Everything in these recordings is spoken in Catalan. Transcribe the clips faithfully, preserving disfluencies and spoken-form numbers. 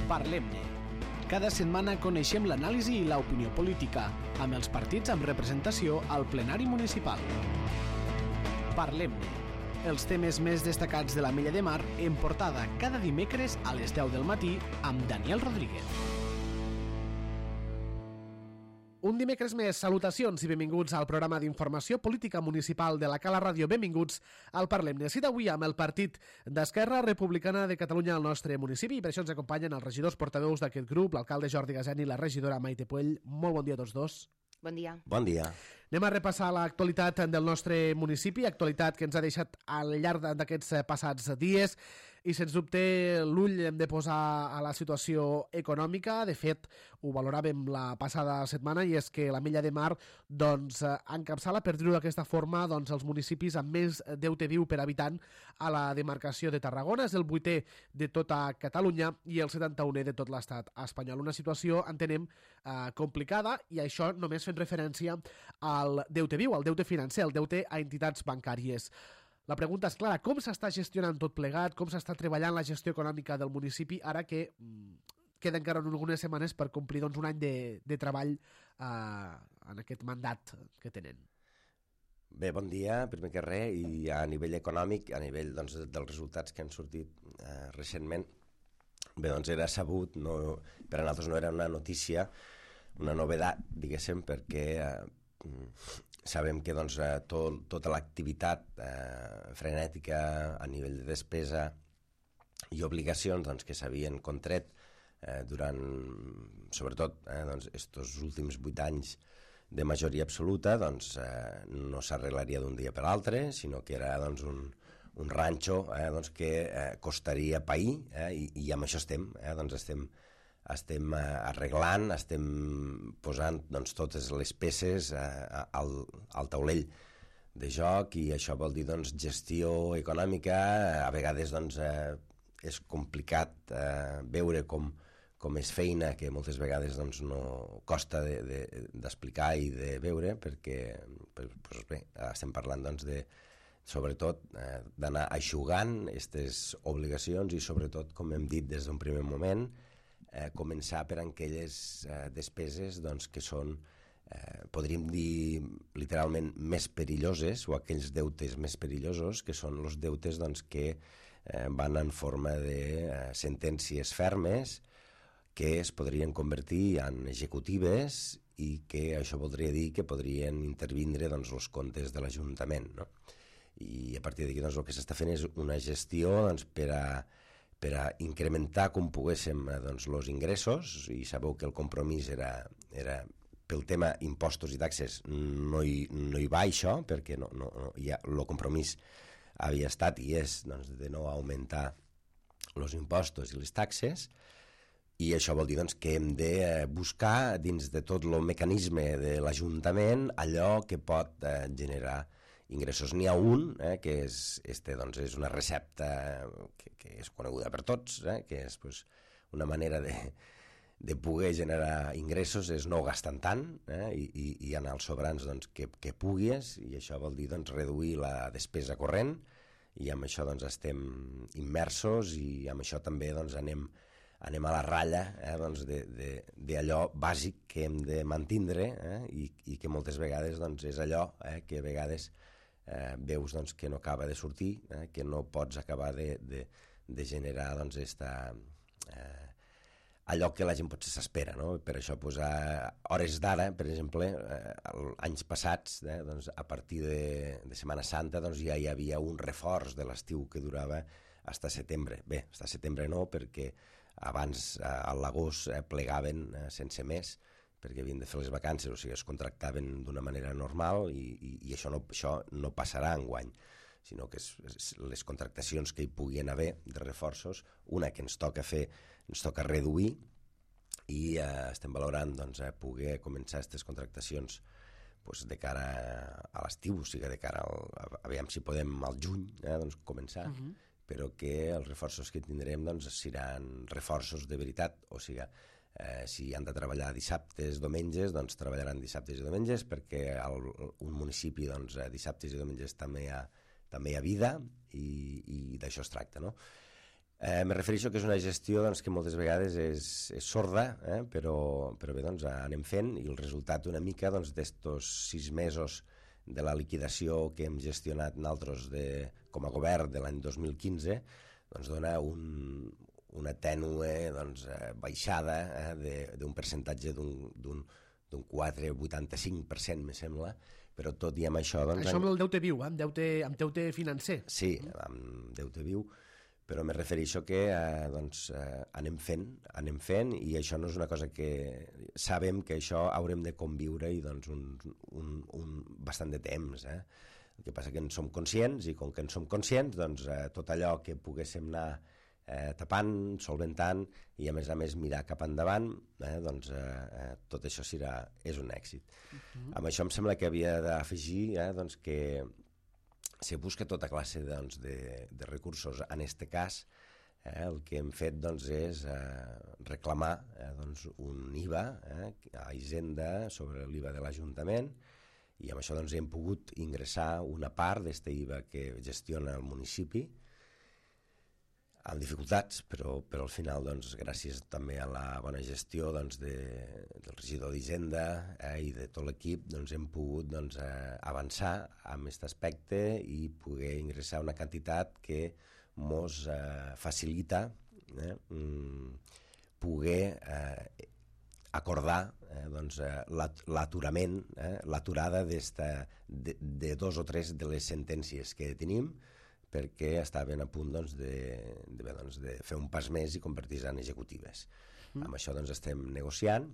Parlem-ne. Cada setmana coneixem l'anàlisi i l'opinió política, amb els partits amb representació al plenari municipal. Parlem-ne. Els temes més destacats de l'Ametlla de Mar en portada cada dimecres a les deu del matí amb Daniel Rodríguez. Un dimecres més, salutacions i benvinguts al programa d'informació política municipal de la Cala Ràdio. Benvinguts al Parlem-ne. Cita avui amb el partit d'Esquerra Republicana de Catalunya al nostre municipi i per això ens acompanyen els regidors portaveus d'aquest grup, l'alcalde Jordi Gaseni i la regidora Maite Puell. Molt bon dia a tots dos. Bon dia. Bon dia. Anem a repassar l'actualitat del nostre municipi, actualitat que ens ha deixat al llarg d'aquests passats dies i sens dubte l'ull hem de posar a la situació econòmica. De fet, ho valoràvem la passada setmana i és que l'Ametlla de Mar doncs, encapçala, per dir-ho d'aquesta forma, doncs, els municipis amb més deute viu per habitant a la demarcació de Tarragona. És el vuitè de tota Catalunya i el setanta-unè de tot l'estat espanyol. Una situació, entenem, eh, complicada i això només fent referència al deute viu, al deute financer, al deute a entitats bancàries. La pregunta és clara, com s'està gestionant tot plegat, com s'està treballant la gestió econòmica del municipi ara que mm, queden encara algunes setmanes per complir doncs, un any de, de treball eh, en aquest mandat que tenen? Bé, bon dia, primer que res, i a nivell econòmic, a nivell doncs, dels resultats que han sortit eh, recentment, bé, doncs era sabut, no, per a nosaltres no era una notícia, una novedat, diguéssim, perquè eh, sabem que doncs, tot, tota l'activitat eh, frenètica a nivell de despesa i obligacions doncs, que s'havien contret eh, durant, sobretot, eh, doncs, estos últims vuit anys de majoria absoluta, doncs, eh, no s'arreglaria d'un dia per l'altre, sinó que era doncs, un, un ranxo eh, doncs, que eh, costaria pair, eh, i, i amb això estem, eh, doncs estem estem arreglant, estem posant doncs, totes les peces eh, al, al taulell de joc i això vol dir doncs, gestió econòmica. A vegades doncs, eh, és complicat eh, veure com, com és feina que moltes vegades doncs, no costa d'explicar de, de, i de veure perquè doncs, bé, estem parlant doncs, de sobretot eh, d'anar aixugant aquestes obligacions i sobretot, com hem dit des d'un primer moment, Eh, començar per aquelles eh, despeses doncs, que són, eh, podríem dir literalment, més perilloses o aquells deutes més perillosos que són els deutes doncs, que eh, van en forma de eh, sentències fermes que es podrien convertir en executives i que això voldria dir que podrien intervindre doncs, els comptes de l'Ajuntament, no? I a partir d'aquí doncs, el que s'està fent és una gestió doncs, per a per a incrementar com poguéssim doncs, els ingressos, i sabeu que el compromís era, era pel tema impostos i taxes, no hi, no hi va això, perquè no, no, no, ja, el compromís havia estat i és doncs, de no augmentar els impostos i les taxes, i això vol dir doncs, que hem de buscar dins de tot el mecanisme de l'Ajuntament allò que pot eh, generar ingressos. N'hi ha un, eh, que és, este, doncs, és una recepta que, que és coneguda per tots, eh, que és pues, una manera de, de poder generar ingressos, és no gastant tant eh, i, i, i anar als sobrants doncs, que, que puguis, i això vol dir doncs, reduir la despesa corrent, i amb això doncs, estem immersos i amb això també doncs, anem, anem a la ratlla eh, doncs, d'allò bàsic que hem de mantindre eh, i, i que moltes vegades doncs, és allò eh, que a vegades Eh, veus doncs, que no acaba de sortir, eh, que no pots acabar de, de, de generar doncs, esta, eh, allò que la gent potser s'espera, no? Per això pues, a hores d'ara, per exemple, eh, anys passats, eh, doncs, a partir de, de Setmana Santa doncs, ja hi havia un reforç de l'estiu que durava fins a setembre. Bé, fins a setembre no, perquè abans eh, a l'agost eh, plegaven eh, sense més, perquè havien de fer les vacances, o sigui, es contractaven d'una manera normal i, i, i això, no, això no passarà enguany, sinó que és, és les contractacions que hi puguin haver de reforços, una que ens toca fer, ens toca reduir i eh, estem valorant doncs, eh, poder començar aquestes contractacions pues, de cara a l'estiu, o sigui, de cara al, a, a veure si podem al juny eh, doncs, començar, uh-huh. però que els reforços que tindrem doncs, seran reforços de veritat, o sigui, Eh, si han de treballar dissabtes, diumenges, doncs treballaran dissabtes i diumenges, perquè al, un municipi doncs, dissabtes i diumenges també hi ha, també hi ha vida i, i d'això es tracta, no? Eh, me refereixo que és una gestió doncs, que moltes vegades és, és sorda, eh? però, però bé, doncs, anem fent i el resultat una mica doncs, d'estos sis mesos de la liquidació que hem gestionat nosaltres de, com a govern de l'any dos mil quinze doncs, dona un, una tènue doncs, eh, baixada eh, d'un percentatge d'un quatre coma vuitanta-cinc per cent, me sembla, però tot i amb això... Doncs, això amb el deute viu, eh? amb, deute, amb deute financer. Sí, amb deute viu, però me refereixo que eh, doncs, eh, anem fent, anem fent i això no és una cosa que... Sabem que això haurem de conviure i doncs, un, un, un bastant de temps. Eh? El que passa que en som conscients i com que en som conscients, doncs, eh, tot allò que poguéssim anar eh, tapant, solventant i a més a més mirar cap endavant, eh, doncs eh, eh, tot això serà, és un èxit. Uh-huh. Amb això em sembla que havia d'afegir eh, doncs, que se busca tota classe doncs, de, de recursos. En aquest cas, eh, el que hem fet doncs, és eh, reclamar eh, doncs, un I V A eh, a Hisenda sobre l'I V A de l'Ajuntament i amb això doncs, hem pogut ingressar una part d'aquest I V A que gestiona el municipi amb dificultats, però, però al final, doncs, gràcies també a la bona gestió doncs, de, del regidor d'Hisenda eh, i de tot l'equip, doncs, hem pogut doncs, eh, avançar en aquest aspecte i poder ingressar una quantitat que mos eh, facilita eh, poder eh, acordar eh, doncs, eh, l'aturament, eh, l'aturada de, de dos o tres de les sentències que tenim, perquè estaven a punt doncs, de, de, bé, doncs, de fer un pas més i convertir-se en executives. Mm. Amb això doncs, estem negociant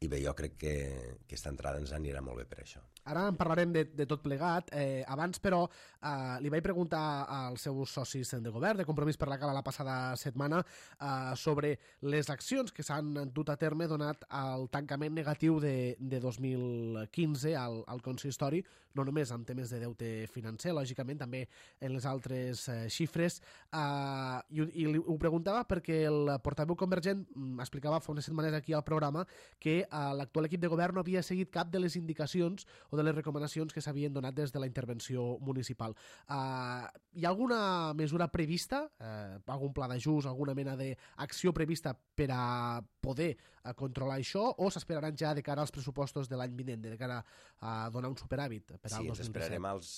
i bé, jo crec que, que aquesta entrada ens anirà molt bé per això. Ara en parlarem de, de tot plegat. Eh, abans, però, eh, li vaig preguntar als seus socis de govern, de Compromís per la Cala, la passada setmana, eh, sobre les accions que s'han dut a terme donat al tancament negatiu de, de dos mil quinze al, al consistori, no només en temes de deute financer, lògicament, també en les altres eh, xifres. Eh, i, I li ho preguntava perquè el portaveu convergent explicava fa unes setmanes aquí al programa que eh, l'actual equip de govern no havia seguit cap de les indicacions o de les recomanacions que s'havien donat des de la intervenció municipal. Uh, hi ha alguna mesura prevista, uh, algun pla d'ajust, alguna mena d'acció prevista per a poder uh, controlar això, o s'esperaran ja de cara als pressupostos de l'any vinent, de cara a donar un superàvit per al sí, dos mil disset? Sí, ens esperarem als,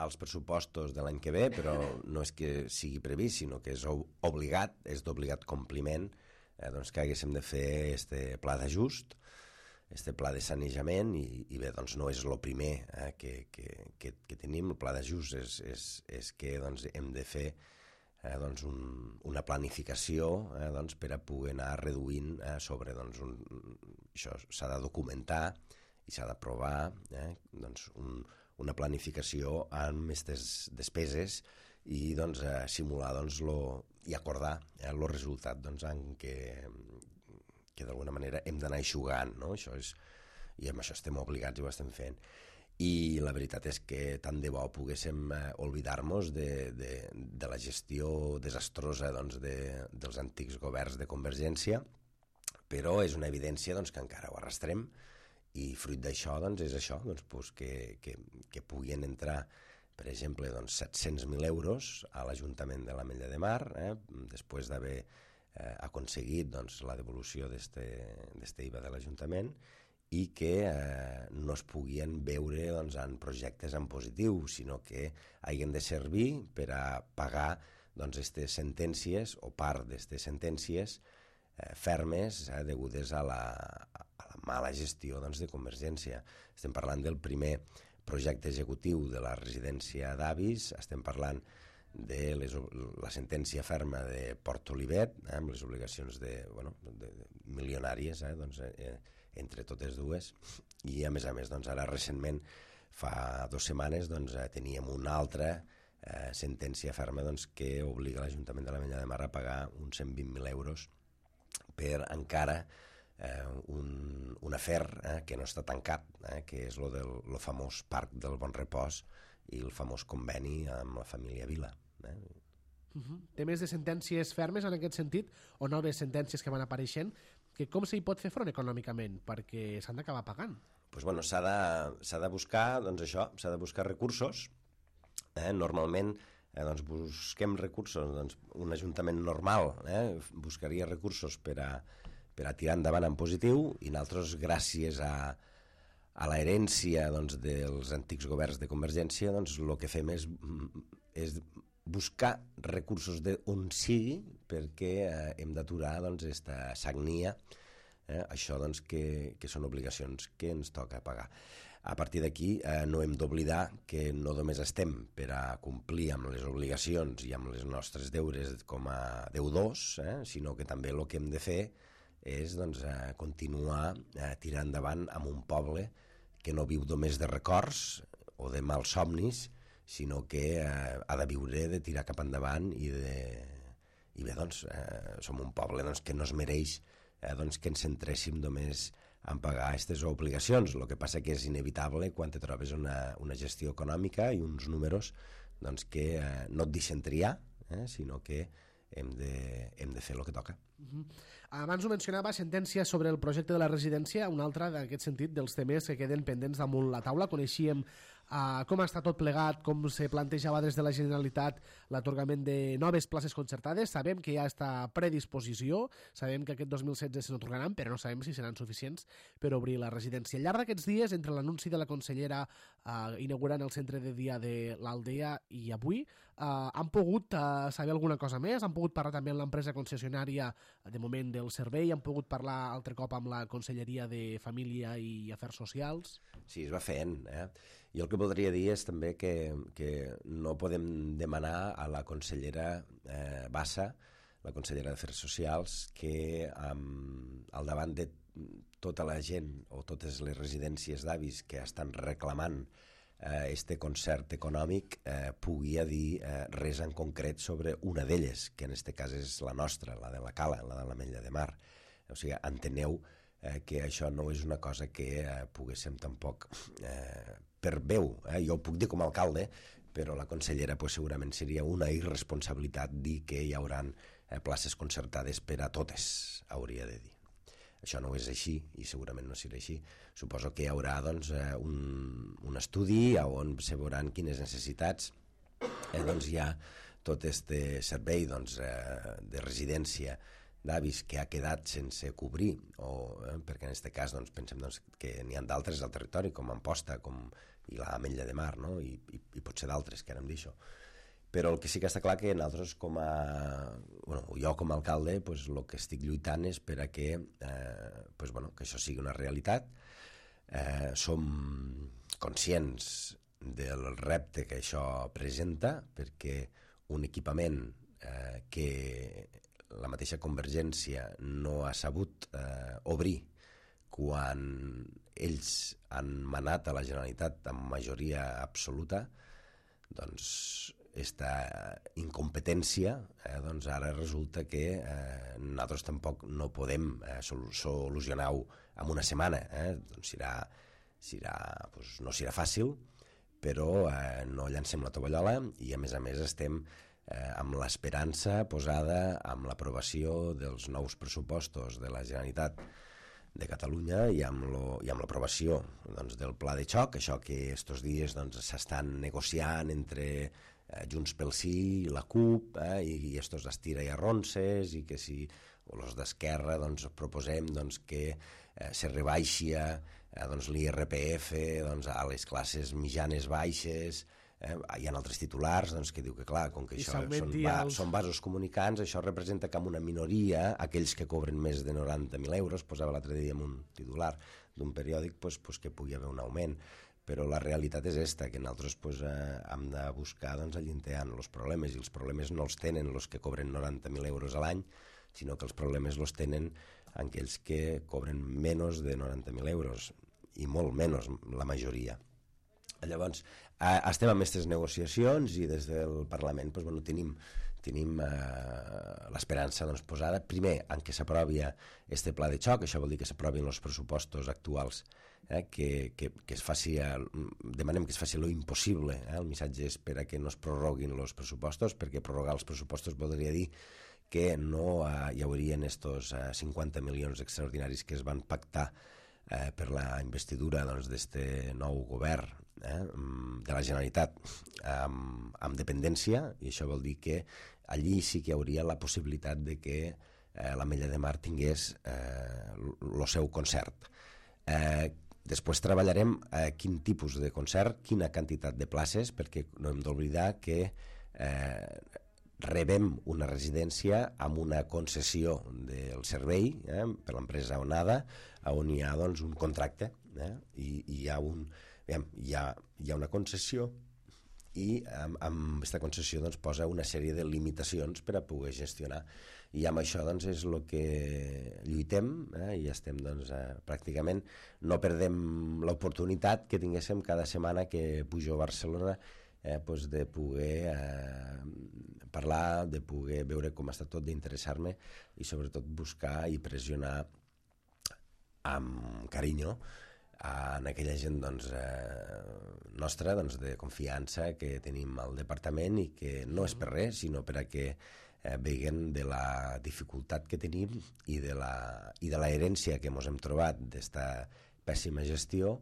als pressupostos de l'any que ve, però no és que sigui previst, sinó que és obligat, és d'obligat compliment, eh, doncs que haguéssim de fer este pla d'ajust, este pla de sanejament i, i bé, doncs no és el primer eh, que, que, que, que tenim. El pla d'ajust és, és, és que doncs, hem de fer eh, doncs, un, una planificació eh, doncs, per a poder anar reduint eh, sobre doncs, un, això s'ha de documentar i s'ha d'aprovar eh, doncs, un, una planificació amb aquestes despeses i doncs, eh, simular doncs, lo, i acordar el eh, resultat doncs, en què que d'alguna manera hem d'anar eixugant, no? Això és, i amb això estem obligats i ho estem fent. I la veritat és que tant de bo poguéssim eh, oblidar-nos de, de, de la gestió desastrosa doncs, de, dels antics governs de Convergència, però és una evidència doncs, que encara ho arrastrem i fruit d'això doncs, és això, doncs, pues, que, que, que puguin entrar per exemple doncs, set-cents mil euros a l'Ajuntament de l'Ametlla de Mar, eh, després d'haver Eh, aconseguit doncs, la devolució d'aquest I V A de l'Ajuntament i que eh, no es puguin veure doncs, en projectes en positiu, sinó que hagin de servir per a pagar doncs, aquestes sentències o part d'aquestes sentències eh, fermes eh, degudes a la, a la mala gestió doncs, de Convergència. Estem parlant del primer projecte executiu de la residència d'avis, estem parlant de les, la sentència ferma de Port Olivet, eh, amb les obligacions de, bueno, de, de milionàries, eh, doncs, eh, entre totes dues, i a més a més, doncs, ara recentment, fa dues setmanes, doncs, eh, teníem una altra eh, sentència ferma doncs, que obliga l'Ajuntament de l'Ametlla de Mar a pagar uns cent vint mil euros per encara eh, un, un afer eh, que no està tancat, eh, que és lo del lo famós Parc del Bon Repòs i el famós conveni amb la família Vila. Eh? Uh-huh. Temes de sentències fermes en aquest sentit o noves sentències que van apareixent, que com s'hi pot fer front econòmicament perquè s'han d'acabar pagant? Pues bueno, s'ha de, s'ha de buscar, doncs això, s'ha de buscar recursos. Eh? Normalment eh, doncs busquem recursos, doncs un ajuntament normal eh, buscaria recursos per a, per a tirar endavant en positiu, i nosaltres, gràcies a, a l'herència doncs, dels antics governs de Convergència, doncs el que fem és, és buscar recursos d'on sigui, perquè eh, hem d'aturar doncs, esta sagnia, eh, això doncs, que, que són obligacions que ens toca pagar. A partir d'aquí eh, no hem d'oblidar que no només estem per a complir amb les obligacions i amb les nostres deures com a deudors, eh, sinó que també el que hem de fer és doncs, eh, continuar eh, tirant endavant amb un poble que no viu només de records o de mals somnis, sinó que eh, ha de viure, de tirar cap endavant, i, de, i bé, doncs, eh, som un poble doncs, que no es mereix eh, doncs, que ens centréssim només en pagar aquestes obligacions. El que passa que és inevitable quan te trobes una, una gestió econòmica i uns números doncs, que eh, no et deixen triar, eh, sinó que hem de, hem de fer el que toca. Uh-huh. Abans ho mencionava, sentència sobre el projecte de la residència, un altre d'aquest sentit dels temes que queden pendents damunt la taula. Coneixíem Uh, com està tot plegat, com se plantejava des de la Generalitat l'atorgament de noves places concertades. Sabem que hi ha aquesta predisposició, sabem que aquest dos mil setze se n'atorgaran, però no sabem si seran suficients per obrir la residència. Al llarg d'aquests dies, entre l'anunci de la consellera uh, inaugurant el centre de dia de l'Aldea i avui, uh, han pogut uh, saber alguna cosa més? Han pogut parlar també amb l'empresa concessionària de moment del servei? Han pogut parlar altre cop amb la Conselleria de Família i Afers Socials? Sí, es va fent, eh? Jo el que voldria dir és també que, que no podem demanar a la consellera eh, Bassa, la consellera d'Afers Socials, que um, al davant de tota la gent o totes les residències d'avis que estan reclamant eh, este concert econòmic eh, pugui dir eh, res en concret sobre una d'elles, que en este cas és la nostra, la de la Cala, la de l'Ametlla de Mar. O sigui, enteneu eh, que això no és una cosa que eh, poguéssim tampoc eh, per veu, eh? Jo ho puc dir com a alcalde, però la consellera pues, segurament seria una irresponsabilitat dir que hi haurà eh, places concertades per a totes, hauria de dir. Això no és així i segurament no serà així. Suposo que hi haurà doncs, eh, un, un estudi on se veuran quines necessitats eh, doncs, hi ha tot este servei doncs, eh, de residència d'avis que ha quedat sense cobrir, o, eh, perquè en aquest cas doncs, pensem doncs, que n'hi ha d'altres al territori, com Amposta, com i l'Ametlla de Mar, no? I, i, i potser d'altres, que ara em deixo. Però el que sí que està clar que nosaltres com a... Bueno, jo com a alcalde, pues, el que estic lluitant és per a que, eh, pues, bueno, que això sigui una realitat. Eh, som conscients del repte que això presenta, perquè un equipament eh, que la mateixa Convergència no ha sabut eh, obrir quan ells han manat a la Generalitat amb majoria absoluta, doncs aquesta incompetència eh, doncs ara resulta que eh, nosaltres tampoc no podem eh, solucionar-ho en una setmana. Eh? Doncs serà, serà, doncs no serà fàcil, però eh, no llancem la tovallola i a més a més estem eh, amb l'esperança posada amb l'aprovació dels nous pressupostos de la Generalitat de Catalunya i amb, lo, i amb l'aprovació doncs, del pla de xoc, això que estos dies doncs, s'estan negociant entre eh, Junts pel Sí i la CUP, eh, i, i estos estira i arronses, i que si els d'Esquerra doncs, proposem doncs, que eh, se rebaixi eh, doncs, l'I R P F doncs, a les classes mitjanes baixes. Eh, hi ha altres titulars doncs, que diu que clar, com que I això són, va, els... són vasos comunicants, això representa com una minoria, aquells que cobren més de noranta mil euros, posava l'altre dia en un titular d'un periòdic, pues, pues, que pugui haver un augment. Però la realitat és esta, que nosaltres pues, eh, hem de buscar doncs, allinteant els problemes, i els problemes no els tenen els que cobren noranta mil euros a l'any, sinó que els problemes els tenen aquells que cobren menys de noranta mil euros, i molt menys la majoria. Llavors, eh, estem amb aquestes negociacions i des del Parlament doncs, bueno, tenim, tenim eh, l'esperança doncs, posada, primer, en que s'aprovi este pla de xoc, això vol dir que s'aprovin els pressupostos actuals, eh, que, que, que es faci, demanem que es faci lo impossible, eh, el missatge és per a que no es prorroguin els pressupostos, perquè prorrogar els pressupostos voldria dir que no eh, hi haurien estos eh, cinquanta milions extraordinaris que es van pactar eh, per la investidura doncs, d'este nou govern eh, de la Generalitat amb, amb dependència, i això vol dir que allí sí que hi hauria la possibilitat de que eh, l'Ametlla de Mar tingués el seu concert. Eh, després treballarem eh, quin tipus de concert, quina quantitat de places, perquè no hem d'oblidar que eh, rebem una residència amb una concessió del servei eh, per l'empresa Onada, on hi ha doncs, un contracte eh, i, i hi, ha un, veiem, hi, ha, hi ha una concessió i amb, amb aquesta concessió doncs, posa una sèrie de limitacions per a poder gestionar, i amb això doncs, és el que lluitem eh, i estem doncs, eh, pràcticament no perdem l'oportunitat que tinguéssim cada setmana que pujo a Barcelona eh, doncs de poder eh, parlar, de poder veure com està tot, d'interessar-me i sobretot buscar i pressionar amb carinyo en aquella gent doncs, eh, nostra doncs, de confiança que tenim al departament i que no és per res, sinó per a que eh, veguen de la dificultat que tenim i de la, i de la herència que ens hem trobat d'esta pèssima gestió,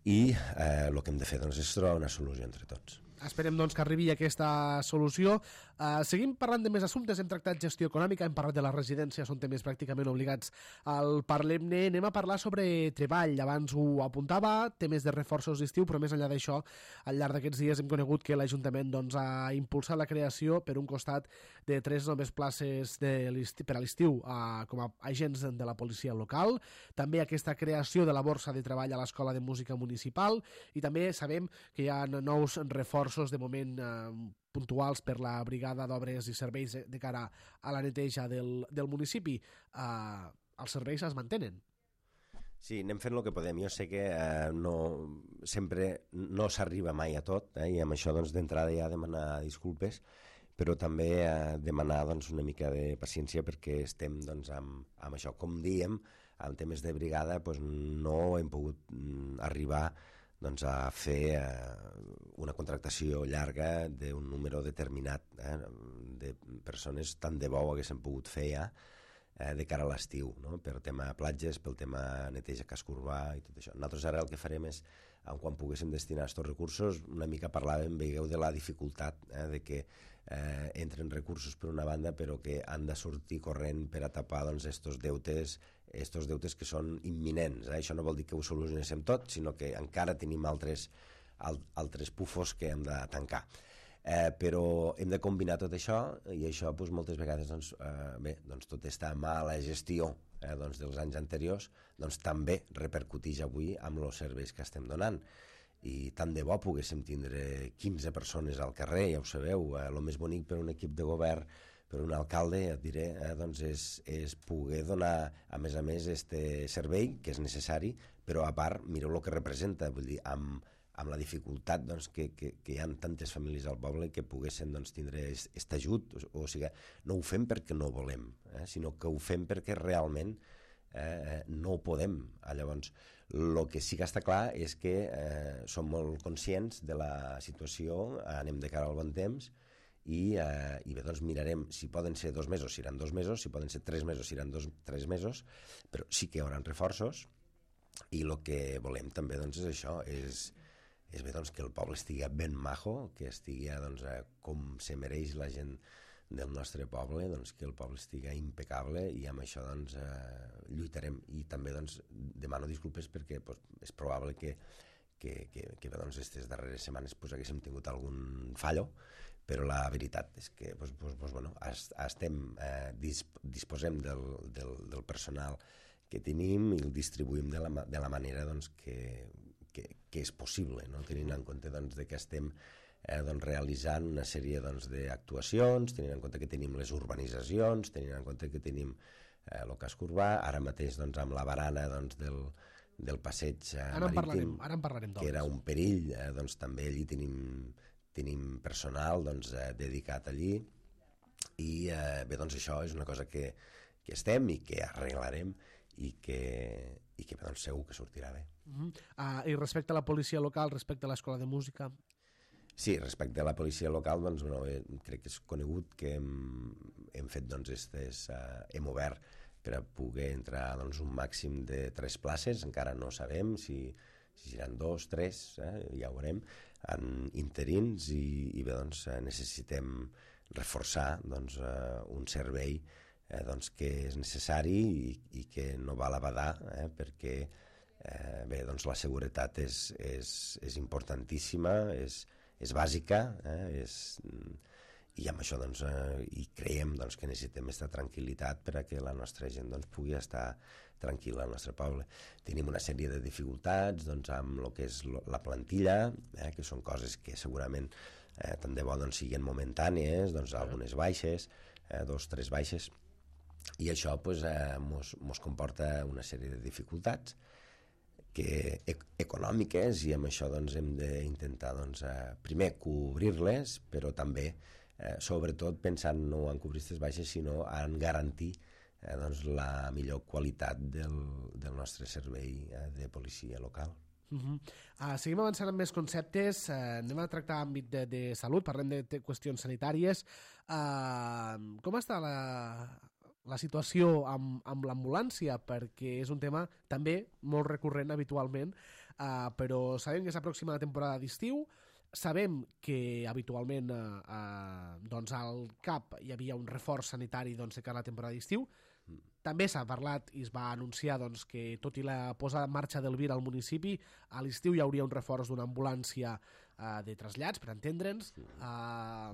i eh, el que hem de fer doncs, és trobar una solució entre tots. Esperem doncs, que arribi aquesta solució. Uh, seguim parlant de més assumptes. Hem tractat gestió econòmica, hem parlat de les residències, són temes pràcticament obligats al Parlem-ne. Anem a parlar sobre treball. Abans ho apuntava, temes de reforços d'estiu, però més enllà d'això, al llarg d'aquests dies hem conegut que l'Ajuntament doncs, ha impulsat la creació, per un costat, de tres noves places de per a l'estiu uh, com a agents de la policia local, també aquesta creació de la borsa de treball a l'Escola de Música Municipal, i també sabem que hi ha nous reforços de moment eh, puntuals per la brigada d'obres i serveis de, de cara a la neteja del, del municipi. Eh, els serveis es mantenen. Sí, anem fent el que podem. Jo sé que eh, no, sempre no s'arriba mai a tot, eh, i amb això doncs, d'entrada ja demanar disculpes, però també eh, demanar doncs, una mica de paciència perquè estem doncs, amb, amb això. Com diem, en temes de brigada doncs, no hem pogut mm, arribar doncs, a fer eh, una contractació llarga d'un número determinat eh, de persones, tant de bo ho haguéssim pogut fer ja eh, de cara a l'estiu, no? Per tema platges, pel tema neteja casc urbà i tot això. Nosaltres ara el que farem és, quan poguéssim destinar aquests recursos, una mica parlàvem, veieu, de la dificultat eh, de que eh, entren recursos per una banda, però que han de sortir corrent per a tapar doncs, estos deutes estos deutes que són imminents. Eh? Això no vol dir que ho solucionéssim tot, sinó que encara tenim altres, al, altres pufos que hem de tancar. Eh, però hem de combinar tot això, i això doncs, moltes vegades doncs, eh, bé, doncs, tot està mala gestió eh, doncs, dels anys anteriors, doncs, també repercuteix avui amb els serveis que estem donant. I tant de bo poguéssim tindre quinze persones al carrer, ja ho sabeu, eh, el més bonic per un equip de govern, per un alcalde, et diré, eh, doncs és, és poder donar, a més a més, este servei, que és necessari, però a part, mireu el que representa, vull dir, amb, amb la dificultat doncs, que, que, que hi ha tantes famílies al poble que poguessin doncs, tindre aquest ajut, o, o sigui, no ho fem perquè no volem, eh, sinó que ho fem perquè realment eh, no ho podem. Ah, llavors, el que sí que està clar és que eh, som molt conscients de la situació, anem de cara al bon temps, i, eh, i bé, doncs mirarem si poden ser dos mesos, si seran dos mesos, si poden ser tres mesos, si seran dos, tres mesos, però sí que hi haurà reforços, i el que volem també doncs, és això, és, és bé, doncs, que el poble estigui ben majo, que estigui doncs, com se mereix la gent del nostre poble, doncs, que el poble estigui impecable, i amb això doncs, eh, lluitarem. I també doncs, demano disculpes perquè pues, és probable que, que, que, que bé, doncs, aquestes darreres setmanes pues, haguéssim tingut algun fallo, però la veritat és que pues, pues, pues, bueno, estem, eh, disp disposem del, del, del personal que tenim i el distribuïm de la, de la manera doncs, que, que, que és possible, no? Tenint en compte doncs, de que estem eh, doncs, realitzant una sèrie doncs, d'actuacions, tenint en compte que tenim les urbanitzacions, tenint en compte que tenim eh, el casc urbà, ara mateix doncs, amb la barana doncs, del, del passeig eh, ara marítim, parlarem, ara en parlarem que era un perill, eh, doncs, també allí tenim tenim personal doncs, eh, dedicat allí, i eh, bé, doncs això és una cosa que, que estem i que arreglarem i que, i que bé, doncs, segur que sortirà bé. Uh -huh. uh, I respecte a la policia local, respecte a l'Escola de Música? Sí, respecte a la policia local, doncs, bueno, eh, crec que és conegut que hem, hem fet, doncs, estes, eh, hem obert per a poder entrar doncs, un màxim de tres places, encara no sabem si si seran dos, tres, eh, ja ho veurem, en interins i, i bé, doncs, necessitem reforçar doncs, eh, un servei eh, doncs, que és necessari i, i que no val a badar, eh, perquè eh, bé, doncs, la seguretat és, és, és importantíssima, és, és bàsica, eh, és, i amb això doncs, eh, i creiem doncs, que necessitem aquesta tranquil·litat per a que la nostra gent doncs, pugui estar tranquil·la al nostre poble. Tenim una sèrie de dificultats doncs, amb el que és la plantilla, eh, que són coses que segurament eh, tant de bo doncs, siguin momentànies, doncs, algunes baixes, eh, dos, tres baixes, i això pues, eh, mos, mos comporta una sèrie de dificultats que, ec econòmiques, i amb això doncs, hem d'intentar doncs, eh, primer cobrir-les, però també eh, sobretot pensant no en cobrir aquestes baixes, sinó en garantir eh, doncs, la millor qualitat del, del nostre servei eh, de policia local. Uh -huh. uh, seguim avançant amb més conceptes, uh, anem a tractar àmbit de, de salut, parlem de, de qüestions sanitàries. Uh, com està la, la situació amb, amb l'ambulància? Perquè és un tema també molt recurrent habitualment, uh, però sabem que s'aproxima la temporada d'estiu, sabem que habitualment eh, eh, doncs al C A P hi havia un reforç sanitari doncs, de cara a la temporada d'estiu. També s'ha parlat i es va anunciar doncs, que tot i la posada en marxa del Vir al municipi, a l'estiu hi hauria un reforç d'una ambulància eh, de trasllats, per entendre'ns. Eh,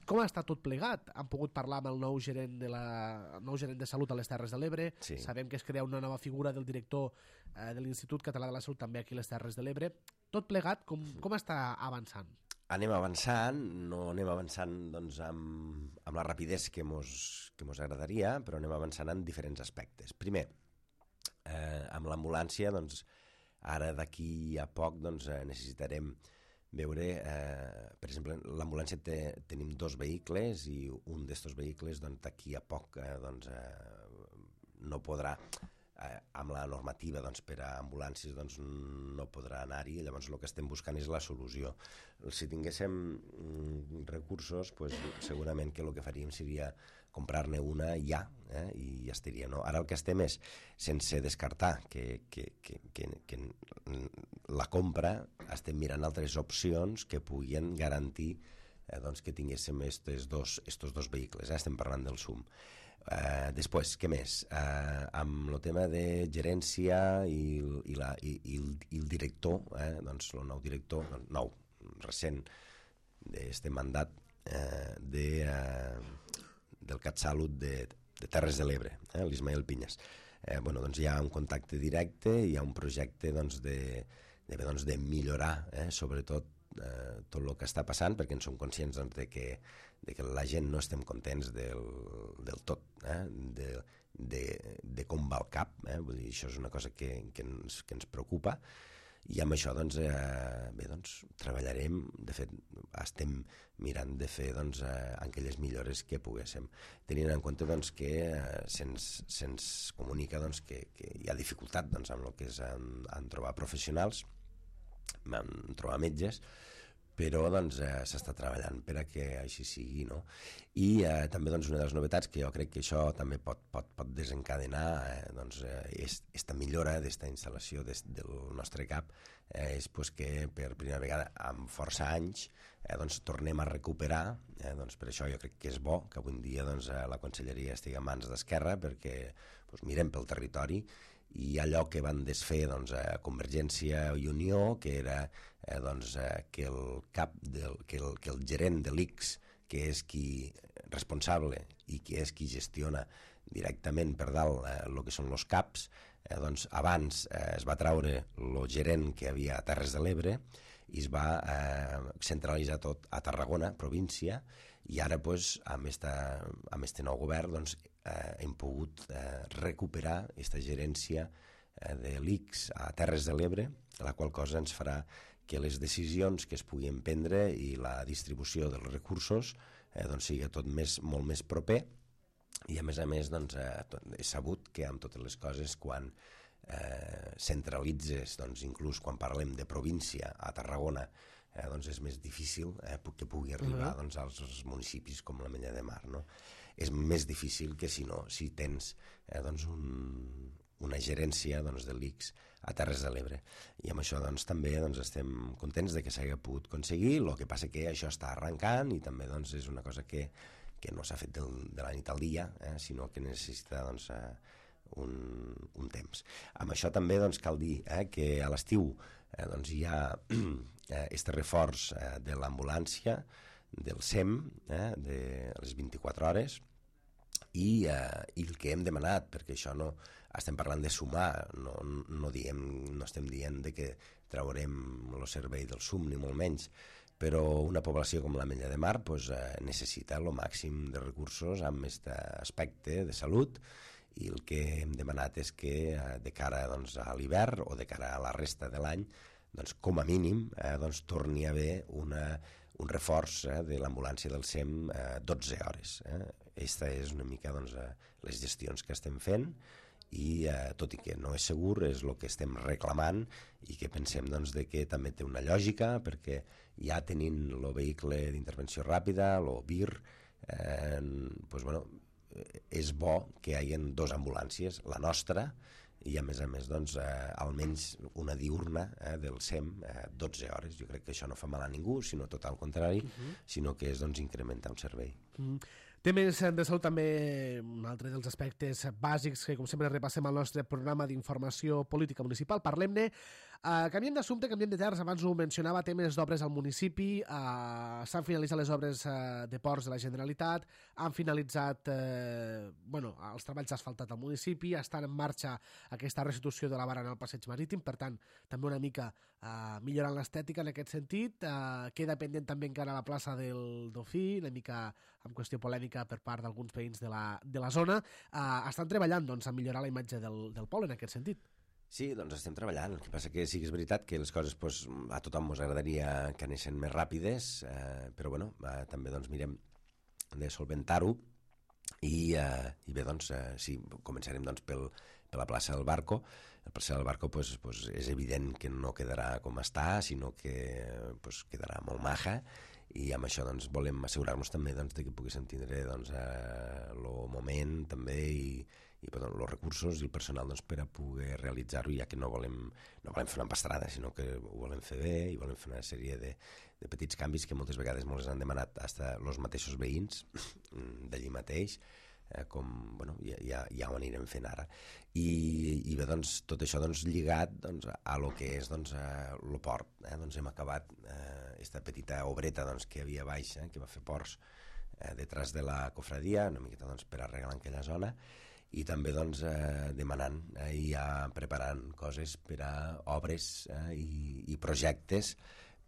com està tot plegat? Han pogut parlar amb el nou gerent de, la, el nou gerent de Salut a les Terres de l'Ebre. Sí. Sabem que es crea una nova figura del director eh, de l'Institut Català de la Salut també aquí a les Terres de l'Ebre. Tot plegat, com, com està avançant? Anem avançant, no anem avançant doncs, amb, amb la rapidesa que mos, que mos agradaria, però anem avançant en diferents aspectes. Primer, eh, amb l'ambulància, doncs, ara d'aquí a poc doncs, necessitarem veure, eh, per exemple, l'ambulància té, tenim dos vehicles i un d'estos vehicles doncs, d'aquí a poc eh, doncs, eh, no podrà Eh, amb la normativa doncs, per a ambulàncies doncs, no podrà anar-hi, llavors el que estem buscant és la solució. Si tinguéssim mm, recursos, pues, segurament que el que faríem seria comprar-ne una ja, eh, i ja estaria. No? Ara el que estem és, sense descartar que, que, que, que, que la compra, estem mirant altres opcions que puguin garantir eh, doncs, que tinguéssim estos dos, estos dos vehicles. Eh? Estem parlant del S U M. Uh, després, què més? Uh, amb el tema de gerència i, i, la, i, i, el, i el director, eh, doncs el nou director, doncs, nou, recent, d'este mandat eh, de, uh, del CatSalut de, de Terres de l'Ebre, eh, l'Ismael Pinyes. Eh, bueno, doncs hi ha un contacte directe, hi ha un projecte doncs, de, de, doncs, de millorar, eh, sobretot, Eh, tot el que està passant, perquè en som conscients doncs, de, que, de que la gent no estem contents del, del tot, eh? de, de, de com va el cap, eh? Vull dir, això és una cosa que, que, ens, que ens preocupa, i amb això doncs, eh, bé, doncs, treballarem, de fet estem mirant de fer doncs, eh, aquelles millores que poguéssim, tenint en compte doncs, que eh, se'ns se'ns comunica doncs, que, que hi ha dificultat doncs, amb el que és en, en trobar professionals, en trobar metges, però doncs, eh, s'està treballant per a que així sigui, no? I eh, també doncs, una de les novetats que jo crec que això també pot, pot, pot desencadenar eh, doncs, eh, és esta millora d'esta instal·lació des, del nostre cap, eh, és pues, que per primera vegada en força anys eh, doncs, tornem a recuperar, eh, doncs, per això jo crec que és bo que avui en dia doncs, la Conselleria estigui en mans d'Esquerra, perquè doncs, mirem pel territori i allò que van desfer doncs, a Convergència i Unió, que era eh, doncs, eh, que el cap del, que, el, que el gerent de l'I C S, que és qui responsable i que és qui gestiona directament per dalt eh, el que són els CAPs, eh, doncs abans eh, es va traure el gerent que havia a Terres de l'Ebre i es va eh, centralitzar tot a Tarragona, província, i ara pues, amb aquest nou govern doncs, eh, hem pogut eh, recuperar aquesta gerència eh, de l'I C S a Terres de l'Ebre, la qual cosa ens farà que les decisions que es puguin prendre i la distribució dels recursos eh, doncs, sigui tot més, molt més proper, i a més a més doncs, eh, he sabut que amb totes les coses quan eh, centralitzes, doncs, inclús quan parlem de província a Tarragona, eh, doncs és més difícil eh, que pugui arribar uh-huh. doncs, als municipis com l'Ametlla de Mar, no? És més difícil que si no, si tens eh, doncs un, una gerència doncs, de l'I C S a Terres de l'Ebre. I amb això doncs, també doncs, estem contents de que s'hagi pogut aconseguir, el que passa que això està arrencant i també doncs, és una cosa que, que no s'ha fet del, de la nit al dia, eh, sinó que necessita doncs, eh, un, un temps. Amb això també doncs, cal dir eh, que a l'estiu eh, doncs, hi ha aquest reforç eh, de l'ambulància, del S E M, eh, de les vint-i-quatre hores, i, eh, i el que hem demanat, perquè això no estem parlant de sumar, no, no, diem, no estem dient de que traurem el servei del S U M ni molt menys, però una població com l'Ametlla de Mar pues, eh, necessita el màxim de recursos amb aquest aspecte de salut, i el que hem demanat és que eh, de cara doncs, a l'hivern o de cara a la resta de l'any, doncs, com a mínim eh, doncs, torni a haver una, un reforç eh, de l'ambulància del S E M eh, dotze hores. Eh. Aquesta és una mica doncs, eh, les gestions que estem fent, i eh, tot i que no és segur, és el que estem reclamant i que pensem doncs, de que també té una lògica, perquè ja tenint el vehicle d'intervenció ràpida, el V I R, eh, doncs, bueno, és bo que hi hagi dues ambulàncies, la nostra i a més a més doncs, eh, almenys una diurna eh, del S E M eh, dotze hores. Jo crec que això no fa mal a ningú, sinó tot al contrari, uh-huh. sinó que és doncs, incrementar un servei. Uh-huh. Temes de salut també, un altre dels aspectes bàsics que com sempre repassem al nostre programa d'informació política municipal. Parlem-ne, uh, canviem d'assumpte, canviem de terres, abans ho mencionava, temes d'obres al municipi, uh, s'han finalitzat les obres uh, de ports de la Generalitat, han finalitzat uh, bueno, els treballs asfaltats al municipi, estan en marxa aquesta restitució de la barana al passeig marítim, per tant, també una mica uh, millorant l'estètica en aquest sentit, uh, queda pendent també encara la plaça del Dofí, una mica amb qüestió polèmica per part d'alguns veïns de la, de la zona, uh, estan treballant doncs, a millorar la imatge del, del poble en aquest sentit. Sí, doncs estem treballant. El que passa que sí que és veritat que les coses pues, a tothom ens agradaria que anessin més ràpides, eh, però bueno, eh, també doncs, mirem de solventar-ho i, eh, i bé, doncs, eh, sí, començarem doncs, pel, per la plaça del Barco. La plaça del Barco pues, pues, és evident que no quedarà com està, sinó que pues, quedarà molt maja, i amb això doncs, volem assegurar-nos també doncs, de que poguéssim tindre doncs, eh, el moment també i, i perdó, els recursos i el personal doncs, per a poder realitzar-ho, ja que no volem, no volem fer una empastrada, sinó que ho volem fer bé i volem fer una sèrie de, de petits canvis que moltes vegades ens han demanat fins els mateixos veïns d'allí mateix, eh, com bueno, ja, ja, ja ho anirem fent ara. I, i bé, doncs, tot això doncs, lligat doncs, a lo que és doncs, el port. Eh? Doncs hem acabat aquesta eh, petita obreta doncs, que hi havia baix, eh, que va fer ports eh, detrás de la cofradia, una miqueta doncs, per arreglar aquella zona, i també doncs, eh, demanant eh, i ja preparant coses per a obres eh, i, i projectes,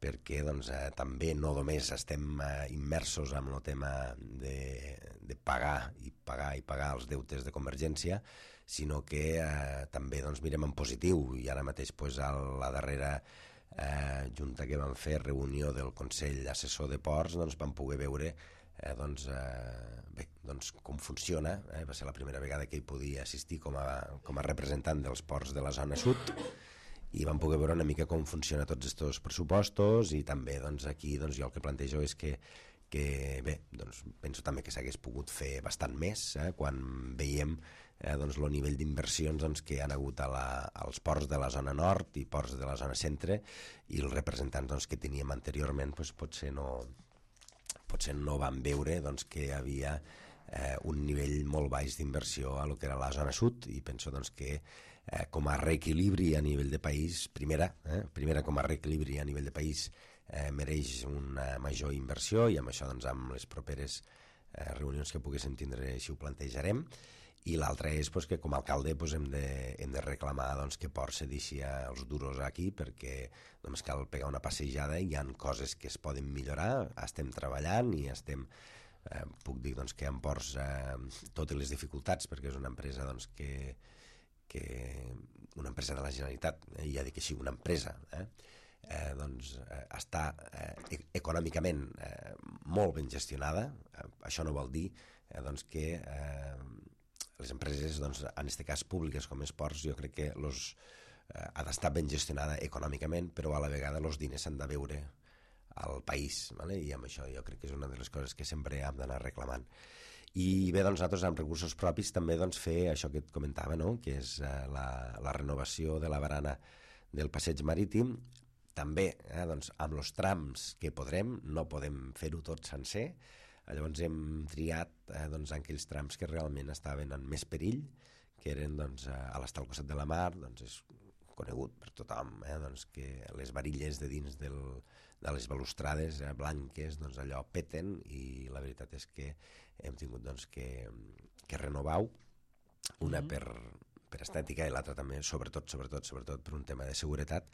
perquè doncs, eh, també no només estem eh, immersos en el tema de, de pagar i pagar i pagar els deutes de Convergència, sinó que eh, també doncs, mirem en positiu, i ara mateix pues, a la darrera eh, junta que vam fer, reunió del Consell Assessor de Ports, doncs, vam poder veure eh, doncs, eh, bé, doncs, com funciona. Eh? Va ser la primera vegada que hi podia assistir com a, com a representant dels ports de la zona sud, i vam poder veure una mica com funciona tots aquests pressupostos, i també doncs, aquí doncs, jo el que plantejo és que, que bé, doncs, penso també que s'hagués pogut fer bastant més eh, quan veiem eh, doncs, el nivell d'inversions doncs, que han hagut a la, als ports de la zona nord i ports de la zona centre, i els representants doncs, que teníem anteriorment doncs, potser, no, potser no van veure doncs, que hi havia eh, un nivell molt baix d'inversió a lo que era la zona sud, i penso doncs, que Eh, com a reequilibri a nivell de país, primera, eh, primera com a reequilibri a nivell de país eh, mereix una major inversió, i amb això doncs, amb les properes eh, reunions que poguéssim tindre així ho plantejarem. I l'altra és pues, que com a alcalde pues, hem, de, hem de reclamar doncs, que Port se deixi els duros aquí, perquè només cal pegar una passejada i hi ha coses que es poden millorar, estem treballant i estem... Eh, puc dir doncs, que en Ports eh, totes les dificultats, perquè és una empresa doncs, que que una empresa de la Generalitat, eh, ja dic així, una empresa, eh, eh, doncs, eh, està eh, econòmicament eh, molt ben gestionada. Eh, això no vol dir eh, doncs, que eh, les empreses, doncs, en aquest cas públiques com és Ports, jo crec que los, eh, ha d'estar ben gestionada econòmicament, però a la vegada els diners s'han de veure al país, ¿vale? I amb això jo crec que és una de les coses que sempre hem d'anar reclamant. I bé, doncs nosaltres amb recursos propis també doncs, fer això que et comentava, no? Que és eh, la, la renovació de la barana del passeig marítim, també eh, doncs, amb els trams que podrem, no podem fer-ho tot sencer, llavors hem triat eh, doncs, aquells trams que realment estaven en més perill, que eren doncs, a l'estar al costat de la mar, doncs és conegut per tothom, eh, doncs, que les varilles de dins del, de les balustrades eh, blanques doncs, allò peten, i la veritat és que hem tingut doncs, que, que renovar una per, per estètica i l'altra també, sobretot, sobretot, sobretot per un tema de seguretat,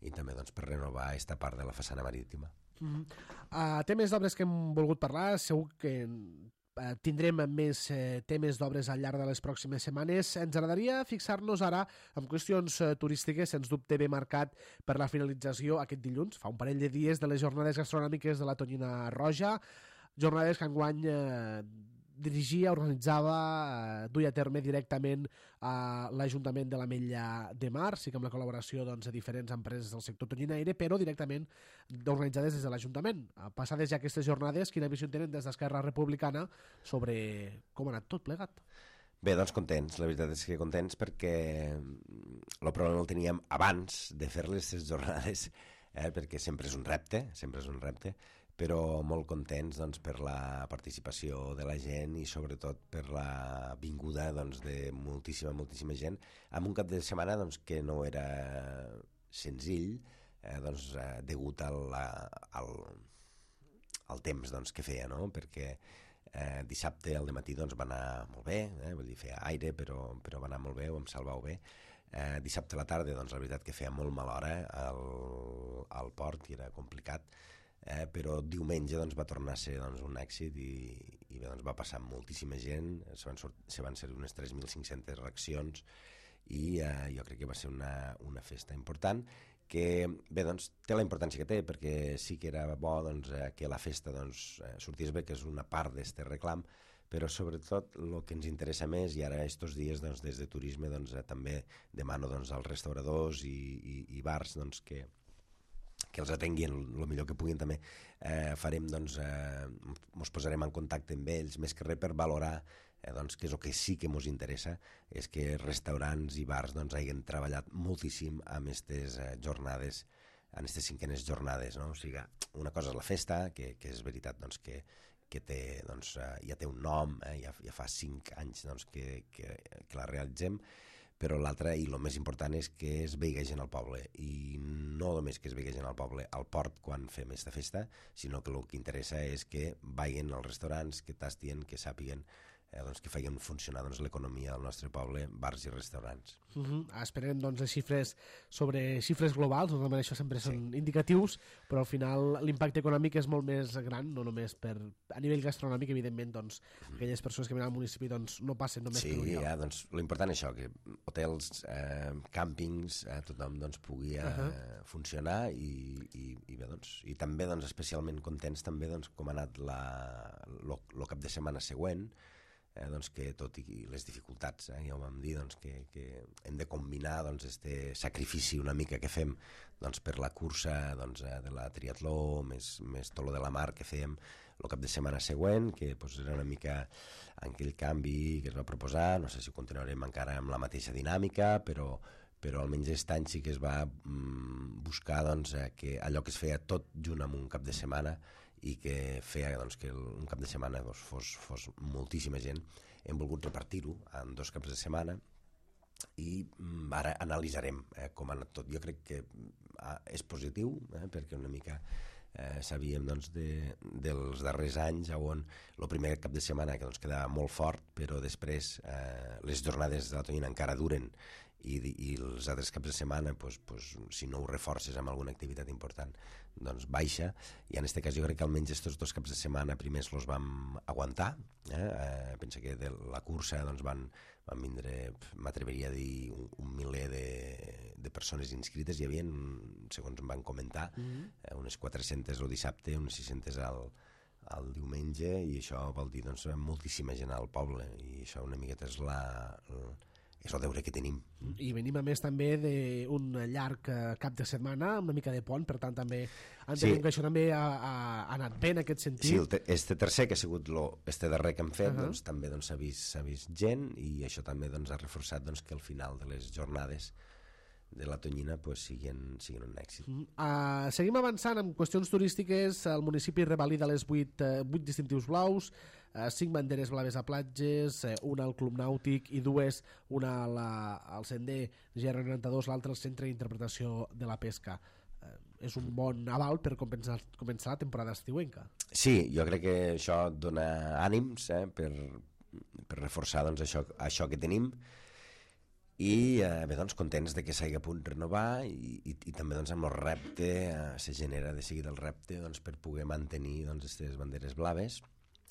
i també doncs, per renovar aquesta part de la façana marítima. Mm-hmm. Uh, temes d'obres que hem volgut parlar, segur que uh, tindrem més uh, temes d'obres al llarg de les pròximes setmanes. Ens agradaria fixar-nos ara en qüestions uh, turístiques, sens dubte ben marcat per la finalització aquest dilluns, fa un parell de dies, de les jornades gastronòmiques de la Tonyina Roja, jornades que enguany eh, dirigia, organitzava, eh, duia a terme directament a l'Ajuntament de l'Ametlla de Mar, sí que amb la col·laboració doncs, de diferents empreses del sector tonyinaire, però directament organitzades des de l'Ajuntament. Passades ja aquestes jornades, quina visió tenen des d'Esquerra Republicana sobre com ha anat tot plegat? Bé, doncs contents, la veritat és que contents perquè el problema el teníem abans de fer-les les jornades, eh, perquè sempre és un repte, sempre és un repte, però molt contents doncs, per la participació de la gent i sobretot per la vinguda doncs, de moltíssima, moltíssima gent en un cap de setmana doncs, que no era senzill, eh, doncs, eh, degut al, al, al temps doncs, que feia, no? Perquè eh, dissabte al dematí doncs, va anar molt bé, eh? Vull dir, feia aire, però, però va anar molt bé, ho hem salvat bé. Eh, dissabte a la tarda, doncs, la veritat que feia molt mala hora al, al port i era complicat. Eh, però diumenge doncs, va tornar a ser doncs, un èxit i, i bé, doncs, va passar moltíssima gent, se van, sort, se van ser unes tres mil cinc-centes reaccions i eh, jo crec que va ser una, una festa important que bé, doncs, té la importància que té perquè sí que era bo doncs, eh, que la festa doncs, eh, sortís bé, que és una part d'aquest reclam, però sobretot el que ens interessa més, i ara aquests dies doncs, des de turisme doncs, eh, també demano doncs, als restauradors i, i, i bars doncs, que que els atenguin el millor que puguin també. Eh, farem, doncs, eh, ens posarem en contacte amb ells, més que res per valorar eh, doncs, que és el que sí que ens interessa, és que restaurants i bars doncs, hagin treballat moltíssim amb aquestes eh, jornades, en aquestes cinquenes jornades. No? O sigui, una cosa és la festa, que, que és veritat doncs, que, que té, doncs, eh, ja té un nom, eh, ja, ja fa cinc anys doncs, que, que, que la realitzem, però l'altre, i el més important, és que es vegi gent al poble, i no només que es vegi gent al poble al port quan fem aquesta festa, sinó que el que interessa és que vagin als restaurants, que tastien, que sàpiguen eh, doncs, que feien funcionar doncs, l'economia del nostre poble, bars i restaurants. Uh-huh. Esperem doncs, les xifres sobre xifres globals, normalment això sempre són sí. indicatius, però al final l'impacte econòmic és molt més gran, no només per a nivell gastronòmic, evidentment, doncs, uh-huh. aquelles persones que venen al municipi doncs, no passen només sí, per un lloc. Sí, ja, doncs, l'important és això, que hotels, eh, càmpings, eh, tothom doncs, pugui eh, uh-huh. funcionar i, i, i bé, doncs, i també doncs, especialment contents també doncs, com ha anat el cap de setmana següent, Eh, doncs que tot i les dificultats, eh, ja ho vam dir, doncs que, que hem de combinar doncs, este sacrifici una mica que fem doncs, per la cursa doncs, eh, de la triatló, més, més tot lo de la mar que fèiem el cap de setmana següent, que doncs, era una mica aquell canvi que es va proposar, no sé si continuarem encara amb la mateixa dinàmica, però, però almenys aquest any sí que es va mm, buscar doncs, eh, que allò que es feia tot junt amb un cap de setmana i que feia doncs, que un cap de setmana doncs, fos, fos moltíssima gent, hem volgut repartir-ho en dos caps de setmana i mm, ara analitzarem eh, com ha anat tot. Jo crec que ah, és positiu, eh, perquè una mica eh, sabíem doncs, de, dels darrers anys on el primer cap de setmana que doncs, quedava molt fort, però després eh, les jornades de la Tonyina encara duren i, i els altres caps de setmana pues, pues, si no ho reforces amb alguna activitat important doncs baixa, i en aquest cas jo crec que almenys aquests dos caps de setmana primers els vam aguantar, eh? Eh, pensa que de la cursa doncs, van, van vindre, m'atreveria a dir un, un miler de, de persones inscrites, hi havia, segons em van comentar, mm-hmm. eh, unes quatre-centes el dissabte, unes sis-centes al, al diumenge, i això vol dir doncs, moltíssima gent al poble, i això una miqueta és la, és el deure que tenim. I venim a més també d'un llarg cap de setmana, amb una mica de pont, per tant també entenem sí. que això també ha, ha, ha anat bé en aquest sentit. Sí, el te, este tercer, que ha sigut lo, este darrer que hem fet, uh -huh. doncs, també s'ha doncs, vist, vist gent, i això també doncs, ha reforçat doncs, que al final de les jornades de la Tonyina pues, siguin, siguin un èxit. Uh, uh, seguim avançant en qüestions turístiques. El municipi revalida les vuit, uh, vuit distintius blaus, uh, cinc banderes blaves a platges, uh, una al Club Nàutic i dues, una la, al sender G R noranta-dos, l'altra al Centre d'Interpretació de la Pesca. Uh, és un bon aval per començar, començar la temporada estiuenca. Sí, jo crec que això dona ànims eh, per, per reforçar doncs, això, això que tenim. I eh, bé, doncs, contents de que s'hagi a punt renovar i, i, i també doncs, amb el repte, eh, se genera de seguida el repte doncs, per poder mantenir aquestes doncs, banderes blaves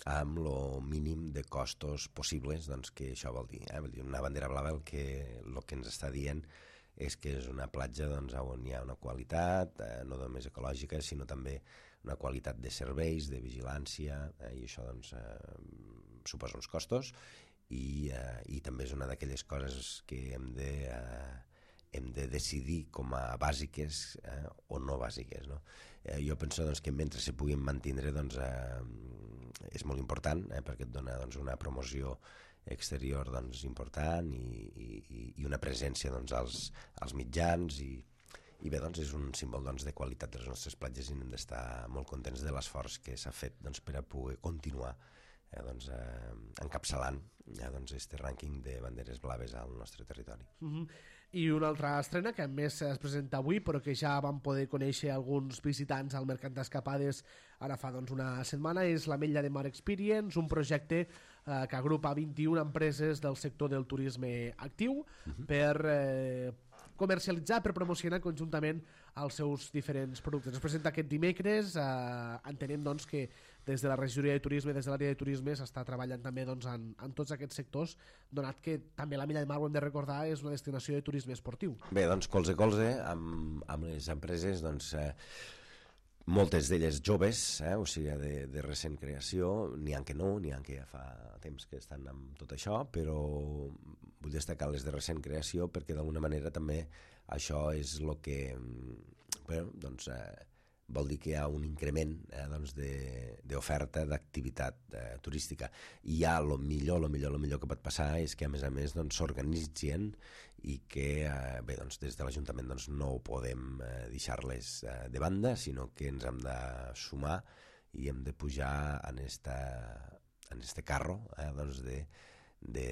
amb el mínim de costos possibles, doncs, que això vol dir. Eh? Vol dir una bandera blava el que, el que ens està dient és que és una platja doncs, on hi ha una qualitat, eh, no només ecològica, sinó també una qualitat de serveis, de vigilància, eh, i això doncs, eh, suposa uns costos. I, eh, i també és una d'aquelles coses que hem de, eh, hem de decidir com a bàsiques eh, o no bàsiques. No? Eh, jo penso doncs, que mentre se puguin mantindre doncs, eh, és molt important, eh, perquè et dona doncs, una promoció exterior doncs, important i, i, i una presència doncs, als, als mitjans i, i bé, doncs, és un símbol doncs, de qualitat de les nostres platges i hem d'estar molt contents de l'esforç que s'ha fet doncs, per a poder continuar Eh, doncs, eh, encapçalant ja, doncs, este rànquing de banderes blaves al nostre territori. Uh-huh. I una altra estrena que a més es presenta avui però que ja vam poder conèixer alguns visitants al Mercat d'Escapades ara fa doncs, una setmana és l'Ametlla de Mar Experience, un projecte eh, que agrupa vint-i-una empreses del sector del turisme actiu uh-huh. per eh, comercialitzar, per promocionar conjuntament els seus diferents productes. Es presenta aquest dimecres, eh, entenem doncs, que des de la regidoria de turisme, des de l'àrea de turisme, s'està treballant també doncs, en, en tots aquests sectors, donat que també l'Ametlla de Mar, ho hem de recordar, és una destinació de turisme esportiu. Bé, doncs colze a colze amb, amb les empreses, doncs, eh, moltes d'elles joves, eh, o sigui, de, de recent creació, n'hi ha que no, n'hi ha que ja fa temps que estan amb tot això, però vull destacar les de recent creació perquè d'alguna manera també això és el que bueno, doncs, eh, vol dir que hi ha un increment eh, doncs d'oferta d'activitat eh, turística. I ja el millor, el millor, el millor que pot passar és que a més a més doncs, s'organitzen i que eh, bé, doncs, des de l'Ajuntament doncs, no ho podem eh, deixar-les eh, de banda, sinó que ens hem de sumar i hem de pujar en esta, en este carro eh, doncs de, de,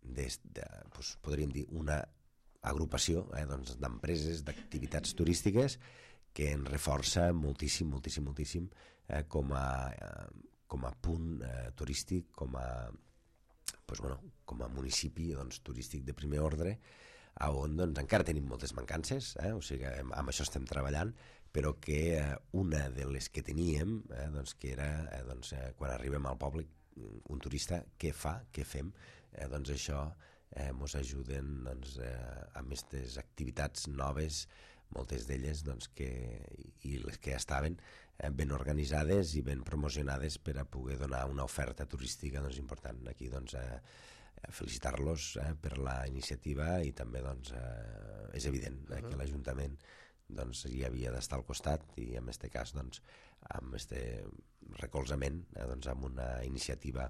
de, de pues, podríem dir una agrupació eh, doncs, d'empreses, d'activitats turístiques que ens reforça moltíssim, moltíssim, moltíssim eh, com, a, eh, com a punt eh, turístic, com a, pues, bueno, com a municipi doncs, turístic de primer ordre, on doncs, encara tenim moltes mancances, eh, o sigui, amb, amb això estem treballant, però que eh, una de les que teníem, eh, doncs, que era eh, doncs, eh, quan arribem al poble, un turista, què fa, què fem, eh, doncs això eh, mos ajuden doncs, eh, amb aquestes activitats noves, moltes d'elles doncs, que, i les que ja estaven eh, ben organitzades i ben promocionades per a poder donar una oferta turística doncs, important. Aquí doncs, eh, felicitar-los eh, per la iniciativa i també doncs, eh, és evident eh, uh-huh. que l'Ajuntament doncs, hi havia d'estar al costat i en aquest cas doncs, amb este recolzament eh, doncs, amb una iniciativa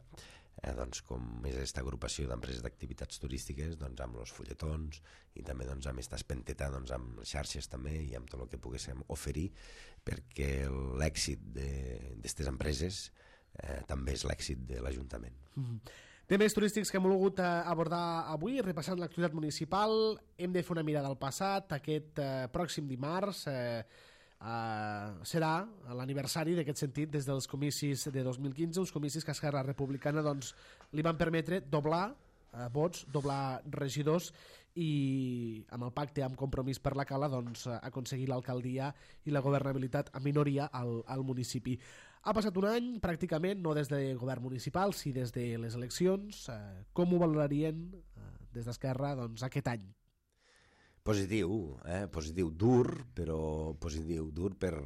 Eh, doncs, com és aquesta agrupació d'empreses d'activitats turístiques doncs, amb els fulletons i també doncs, amb aquesta espenteta doncs, amb xarxes també i amb tot el que poguéssim oferir perquè l'èxit d'aquestes empreses eh, també és l'èxit de l'Ajuntament. Mm-hmm. Temes turístics que hem volgut abordar avui, repassant l'actualitat municipal. Hem de fer una mirada al passat. Aquest eh, pròxim dimarts eh, Uh, serà l'aniversari d'aquest sentit des dels comicis de dos mil quinze, uns comicis que Esquerra Republicana doncs, li van permetre doblar uh, vots, doblar regidors i amb el pacte amb Compromís per la Cala doncs, uh, aconseguir l'alcaldia i la governabilitat a minoria al, al municipi. Ha passat un any pràcticament, no des del govern municipal, sí des de les eleccions. Uh, com ho valorarien uh, des d'Esquerra doncs, aquest any? Positiu, eh? Positiu, dur, però positiu, dur per,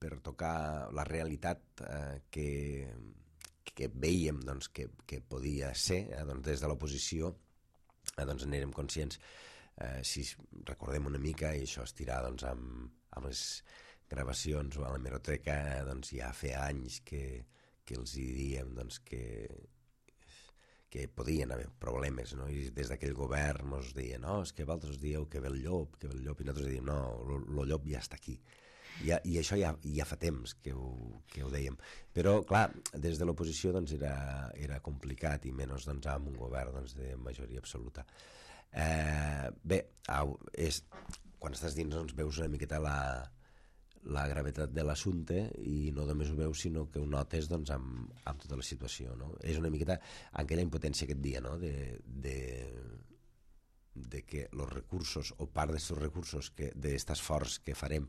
per tocar la realitat eh, que, que veiem doncs, que, que podia ser eh, doncs, des de l'oposició eh, doncs n'érem conscients. Eh, si recordem una mica, i això es tirà doncs, amb, amb les gravacions o a l'hemeroteca, eh, doncs ja feia anys que, que els hi diem doncs, que, que podien haver problemes, no? I des d'aquell govern ens deien, no, és que vosaltres dieu que ve el llop, que ve el llop, i nosaltres diem, no, el llop ja està aquí. Ja, i això ja, ja fa temps que ho, que ho dèiem, però clar, des de l'oposició doncs, era, era complicat, i menys doncs, amb un govern doncs, de majoria absoluta. Eh, bé, au, és, quan estàs dins doncs, veus una miqueta la, la gravetat de l'assumpte, i no només ho veus sinó que ho notes doncs, amb, amb tota la situació, no? És una miqueta aquella impotència aquest dia, no? de, de, de que els recursos o part d'aquests recursos d'aquest esforç que farem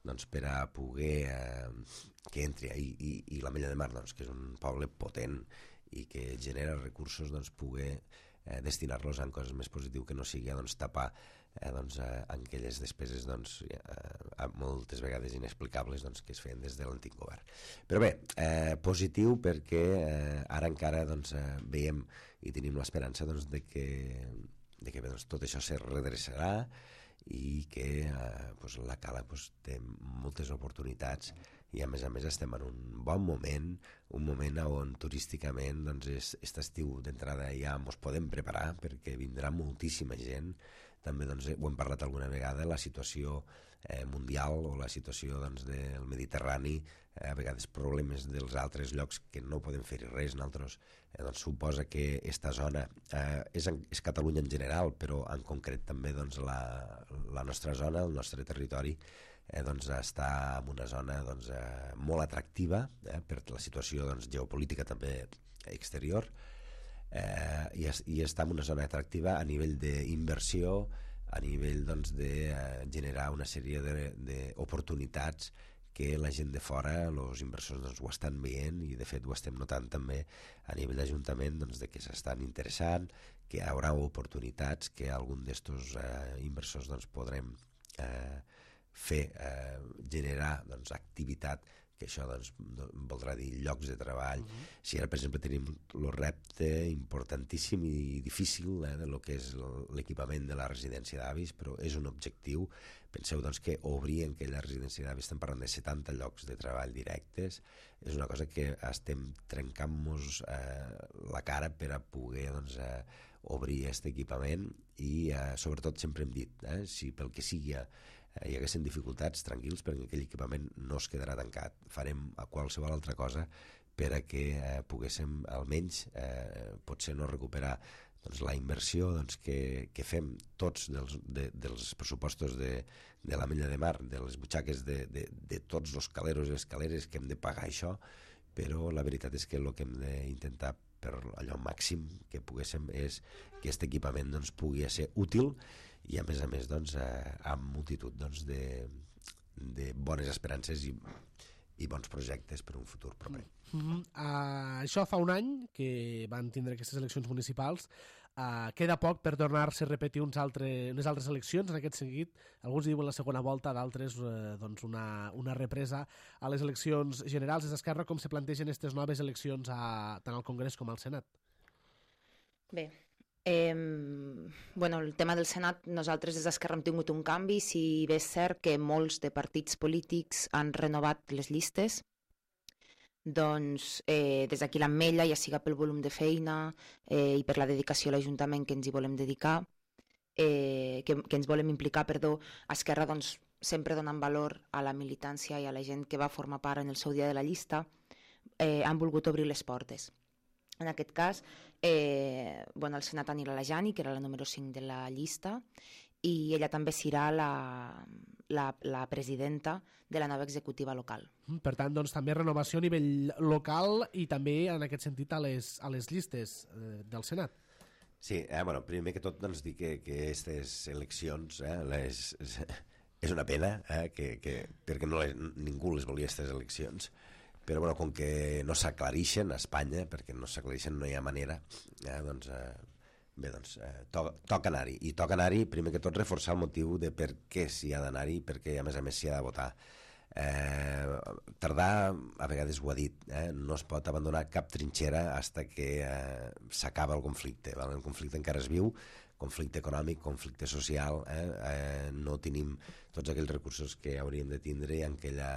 doncs, per a poder eh, que entri i, i, i l'Ametlla de Mar, doncs, que és un poble potent i que genera recursos, doncs, poder eh, destinar-los a coses més positives, que no sigui doncs, tapar eh, doncs, eh, aquelles despeses doncs, eh, moltes vegades inexplicables doncs, que es feien des de l'antic govern. Però bé, eh, positiu perquè eh, ara encara doncs, eh, veiem i tenim l'esperança doncs, de que, de que bé, doncs, tot això se redreçarà, i que eh, pues, la Cala pues, té moltes oportunitats, i a més a més estem en un bon moment, un moment on turísticament doncs, és, aquest estiu d'entrada ja ens podem preparar perquè vindrà moltíssima gent. També doncs, ho hem parlat alguna vegada, la situació eh, mundial o la situació doncs, del Mediterrani, eh, a vegades problemes dels altres llocs que no podem fer res nosaltres. Eh, doncs, suposa que aquesta zona eh, és, en, és Catalunya en general, però en concret també doncs, la, la nostra zona, el nostre territori, eh, doncs, està en una zona doncs, eh, molt atractiva eh, per la situació doncs, geopolítica també exterior, eh, i, es, i està en una zona atractiva a nivell d'inversió, a nivell doncs, de eh, generar una sèrie d'oportunitats que la gent de fora, els inversors doncs, ho estan veient, i de fet ho estem notant també a nivell d'Ajuntament doncs, de que s'estan interessant, que hi haurà oportunitats, que algun d'estos eh, inversors doncs, podrem eh, fer, eh, generar doncs, activitat, que això doncs, voldrà dir llocs de treball. Uh-huh. Si ara, per exemple, tenim el repte importantíssim i difícil eh, de lo que és l'equipament de la residència d'avis, però és un objectiu. Penseu doncs, que obrir en aquella residència d'avis, estem parlant de setanta llocs de treball directes, és una cosa que estem trencant-nos eh, la cara per a poder doncs, eh, obrir aquest equipament, i eh, sobretot sempre hem dit, eh, si pel que sigui eh, hi haguessin dificultats, tranquils, perquè aquell equipament no es quedarà tancat. Farem a qualsevol altra cosa per a que eh, poguéssim almenys eh, potser no recuperar doncs, la inversió doncs, que, que fem tots dels, de, dels pressupostos de, de l'Ametlla de Mar, de les butxaques de, de, de tots els caleros i escaleres que hem de pagar això, però la veritat és que el que hem d'intentar per allò màxim que poguéssim és que aquest equipament doncs, pugui ser útil, i a més a més doncs, eh, amb multitud doncs, de, de bones esperances i, i bons projectes per un futur proper. Mm-hmm. Uh, això fa un any que van tindre aquestes eleccions municipals. Uh, queda poc per tornar-se a repetir uns altre, unes altres eleccions en aquest sentit. Alguns diuen la segona volta, d'altres uh, doncs una, una represa a les eleccions generals. Des d'Esquerra, com se plantegen aquestes noves eleccions a, tant al Congrés com al Senat? Bé, Eh, bueno, el tema del Senat, nosaltres des d'Esquerra hem tingut un canvi. Si bé és cert que molts de partits polítics han renovat les llistes, doncs eh, des d'aquí l'Ametlla, ja siga pel volum de feina eh, i per la dedicació a l'Ajuntament que ens hi volem dedicar, eh, que, que ens volem implicar, perdó, Esquerra doncs, sempre donant valor a la militància i a la gent que va formar part en el seu dia de la llista, eh, han volgut obrir les portes. En aquest cas, eh, bueno, al Senat anirà la Jani, que era la número cinc de la llista, i ella també serà la, la, la presidenta de la nova executiva local. Per tant, doncs, també renovació a nivell local i també, en aquest sentit, a les, a les llistes eh, del Senat. Sí, eh, bueno, primer que tot doncs, dir que aquestes eleccions eh, les, és una pena eh, que, que, perquè no les, ningú les volia, aquestes eleccions, però bueno, com que no s'aclarixen a Espanya, perquè no s'aclarixen, no hi ha manera, eh, doncs, eh, bé, doncs, eh, to toca anar-hi. I toca anar-hi, primer que tot, reforçar el motiu de per què s'hi ha d'anar-hi, perquè a més a més s'hi ha de votar. Eh, tardar, a vegades ho ha dit, eh, no es pot abandonar cap trinxera fins que eh, s'acaba el conflicte. Val? El conflicte encara es viu, conflicte econòmic, conflicte social, eh? Eh, no tenim tots aquells recursos que hauríem de tindre i en aquella,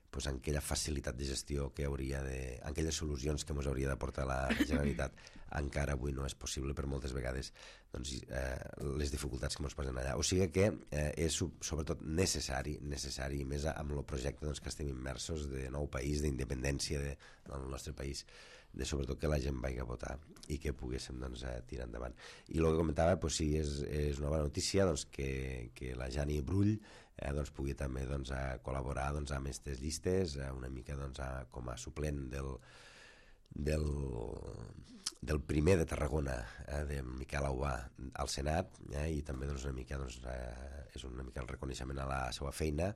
pues, en aquella facilitat de gestió que hauria de... en aquelles solucions que ens hauria d'aportar la Generalitat. Encara avui no és possible per moltes vegades, doncs, eh, les dificultats que ens posen allà. O sigui que eh, és sobretot necessari, necessari, més amb el projecte doncs, que estem immersos de nou país, d'independència de, del nostre país, de sobretot que la gent vagi a votar i que poguéssim doncs, eh, tirar endavant. I el que comentava, doncs, sí, és, és una bona notícia doncs, que, que la Jani Brull eh, doncs, pugui també doncs, a col·laborar doncs, amb aquestes llistes, eh, una mica doncs, a, com a suplent del, del, del primer de Tarragona, eh, de Miquel Aubà al Senat, eh, i també doncs, una mica, doncs, eh, és una mica el reconeixement a la seva feina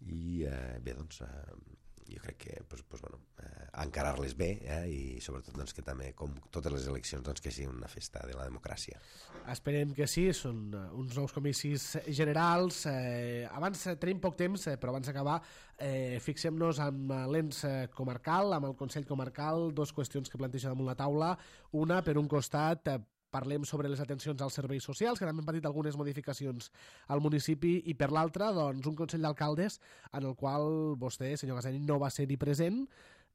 i eh, bé, doncs, eh, jo crec que pues, pues, bueno, eh, encarar-les bé eh, i sobretot doncs, que també, com totes les eleccions, doncs, que sigui una festa de la democràcia. Esperem que sí, són uns nous comicis generals. Eh, abans eh, tenim poc temps, eh, però abans d'acabar eh, fixem-nos amb l'ens eh, comarcal, amb el Consell Comarcal, dos qüestions que planteja damunt la taula. Una, per un costat, eh, parlem sobre les atencions als serveis socials, que també han patit algunes modificacions al municipi, i per l'altra, doncs, un Consell d'Alcaldes en el qual vostè, senyor Gaseni, no va ser-hi present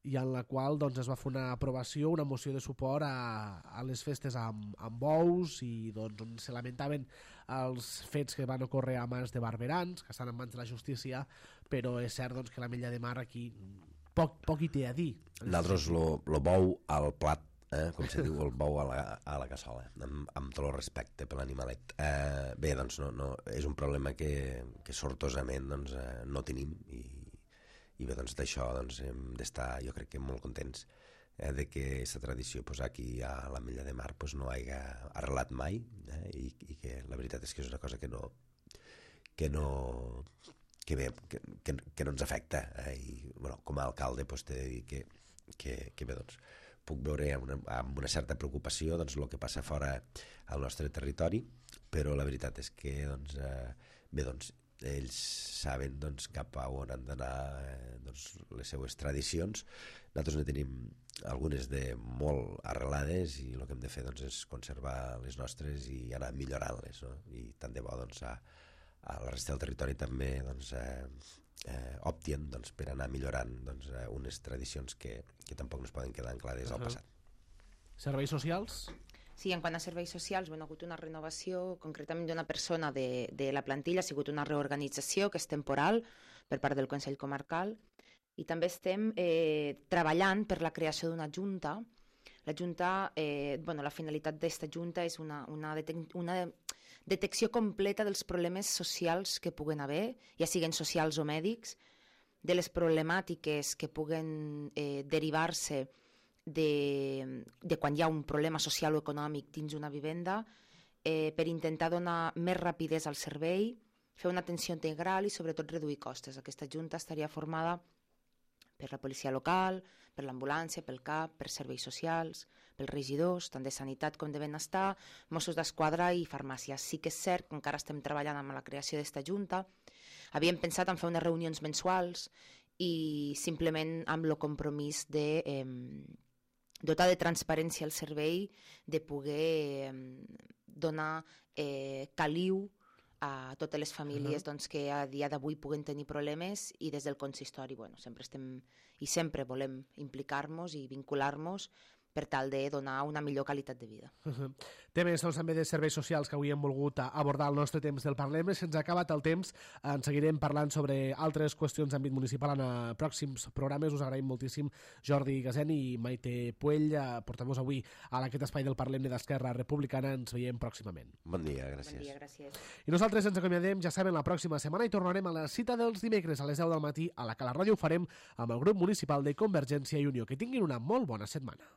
i en la qual doncs, es va fer una aprovació, una moció de suport a, a les festes amb, amb bous i doncs, on se lamentaven els fets que van ocórrer a mans de barberans, que estan en mans de la justícia, però és cert doncs, que la Mella de Mar aquí poc, poc hi té a dir. Nosaltres lo, lo bou al plat, Eh, com se diu, el bou a la, a la cassola, amb, amb tot el respecte per l'animalet. Eh, bé, doncs no, no, és un problema que, que sortosament doncs, eh, no tenim i, i bé, doncs d'això doncs, hem d'estar, jo crec que molt contents eh, de que aquesta tradició pues, aquí a la Mella de Mar pues, no hagi arrelat mai eh, i, i que la veritat és que és una cosa que no que no que bé, que, que, que no ens afecta eh, i bueno, com a alcalde pues, t'he de dir que, que, que bé, doncs puc veure amb una, amb una certa preocupació doncs, el que passa fora al nostre territori, però la veritat és que doncs, eh, bé, doncs, ells saben doncs, cap a on han d'anar eh, doncs, les seues tradicions. Nosaltres ne tenim algunes de molt arrelades i el que hem de fer doncs, és conservar les nostres i anar millorant-les, no? I tant de bo doncs, a, a la resta del territori també doncs, eh, Eh, optien doncs, per anar millorant doncs, eh, unes tradicions que, que tampoc no es poden quedar anclades uh-huh. al passat. Serveis socials? Sí, en quant a serveis socials, bueno, ha hagut una renovació concretament d'una persona de, de la plantilla, ha sigut una reorganització que és temporal per part del Consell Comarcal i també estem eh, treballant per la creació d'una junta. La junta, eh, bueno, la finalitat d'esta junta és una, una, una detecció completa dels problemes socials que puguen haver, ja siguin socials o mèdics, de les problemàtiques que puguen eh, derivar-se de, de quan hi ha un problema social o econòmic dins una vivenda, eh, per intentar donar més rapidesa al servei, fer una atenció integral i sobretot reduir costes. Aquesta junta estaria formada per la policia local, per l'ambulància, pel C A P, per serveis socials, pels regidors, tant de sanitat com de benestar, Mossos d'Esquadra i farmàcia. Sí que és cert que encara estem treballant amb la creació d'esta junta. Havíem pensat en fer unes reunions mensuals i simplement amb el compromís de eh, dotar de transparència el servei, de poder eh, donar eh, caliu a totes les famílies uh-huh. doncs, que a dia d'avui puguen tenir problemes i des del consistori bueno, sempre estem i sempre volem implicar-nos i vincular-nos per tal de donar una millor qualitat de vida. Uh-huh. Temes doncs, també de serveis socials que avui hem volgut abordar al nostre temps del Parlem. Se'ns ha acabat el temps, en seguirem parlant sobre altres qüestions d'àmbit municipal en pròxims programes. Us agraïm moltíssim Jordi Gaseni i Maite Puell, portem-vos avui a aquest espai del Parlem d'Esquerra Republicana. Ens veiem pròximament. Bon dia, gràcies. Bon dia, gràcies. I nosaltres ens acomiadem, ja saben, la pròxima setmana i tornarem a la cita dels dimecres a les deu del matí a la que la ràdio ho farem amb el grup municipal de Convergència i Unió. Que tinguin una molt bona setmana.